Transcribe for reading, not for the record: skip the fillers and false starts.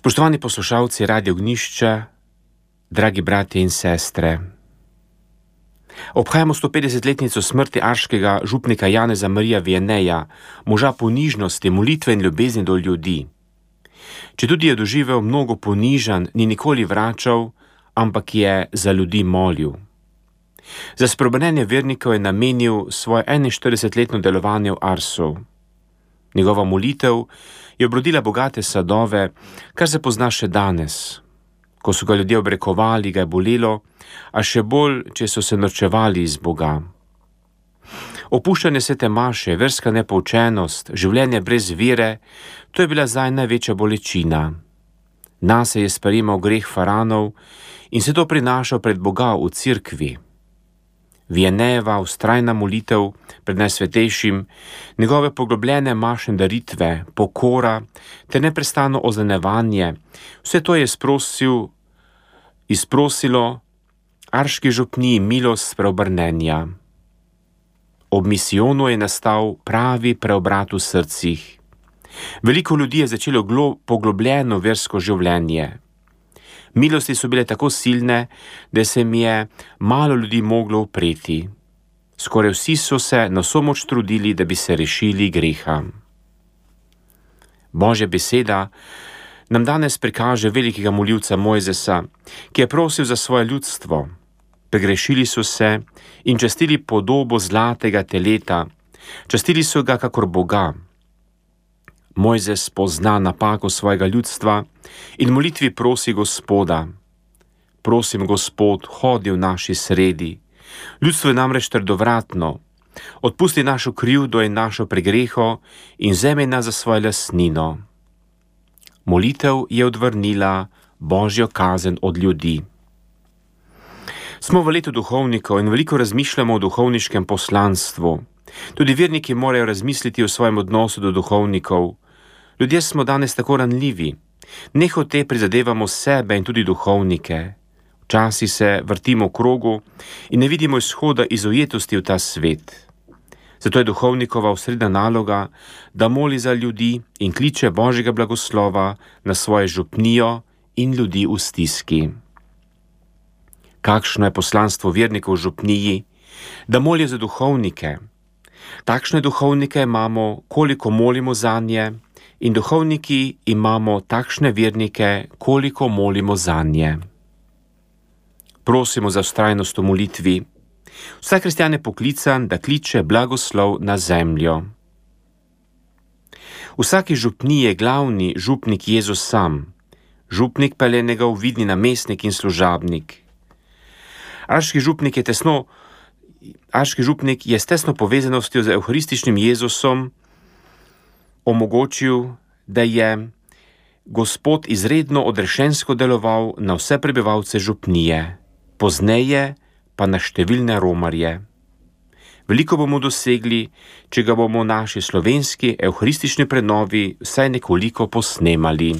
Spoštovani poslušalci Radia Ognjišča, dragi bratje in sestre. Obhajamo 150-letnico smrti arškega župnika Janeza Marija Vianneyja, moža ponižnosti, molitve in ljubezni do ljudi. Četudi je doživel mnogo ponižanj, ni nikoli vračal, ampak je za ljudi molil. Za spreobrnenje vernikov je namenil svoje 41-letno delovanje v Arsu. Njegova molitev je obrodila bogate sadove, kar se pozna še danes. Ko so ga ljudje obrekovali, ga je bolelo, a še bolj, če so se norčevali iz Boga. Opuščanje svete maše, verska nepoučenost, življenje brez vere, to je bila zdaj največja bolečina. Nase je sprejemal greh faranov in se to prinašal pred Boga v cerkvi. Vianneyjeva vztrajna molitev pred Najsvetejšim, njegove poglobljene mašne daritve, pokora ter neprestano oznanjevanje, vse to je izprosilo arški župniji milost spreobrnenja. Ob misijonu je nastal pravi preobrat v srcih. Veliko ljudi je začelo poglobljeno versko življenje. Milosti so bile tako silne, da se mi je malo ljudi moglo upreti. Skoraj vsi so se na vso moč trudili, da bi se rešili greha. Božja beseda nam danes prikaže velikega molilca Mojzesa, ki je prosil za svoje ljudstvo. Pregrešili so se in častili podobo zlatega teleta, častili so ga kakor Boga. Mojzes pozna napako svojega ljudstva in molitvi prosi Gospoda. Prosim, Gospod, hodi v naši sredi. Ljudstvo je namreč trdovratno. Odpusti našo krivdo in našo pregreho in vzemi nas za svojo lastnino. Molitev je odvrnila Božjo kazen od ljudi. Smo v letu duhovnikov in veliko razmišljamo o duhovniškem poslanstvu. Tudi verniki morajo razmisliti o svojem odnosu do duhovnikov. Ljudje smo danes tako ranljivi. Nehote prizadevamo sebe in tudi duhovnike. Včasih se vrtimo v krogu in ne vidimo izhoda iz ujetosti v ta svet. Zato je duhovnikova osrednja naloga, da moli za ljudi in kliče Božjega blagoslova na svojo župnijo in ljudi v stiski. Kakšno je poslanstvo vernikov v župniji? Da molijo za duhovnike. Takšne duhovnike imamo, koliko molimo zanje, in duhovniki imamo takšne vernike, koliko molimo zanje. Prosimo za vztrajnost v molitvi. Vsak kristjan je poklican, da kliče blagoslov na zemljo. V vsaki župniji je glavni župnik Jezus sam. Župnik pa je njegov vidni namestnik in služabnik. Arški župnik je s tesno povezanostjo z evharističnim Jezusom omogočil, da je Gospod izredno odrešensko deloval na vse prebivalce župnije, pozneje pa na številne romarje. Veliko bomo dosegli, če ga bomo v naši slovenski evharistični prenovi vsaj nekoliko posnemali.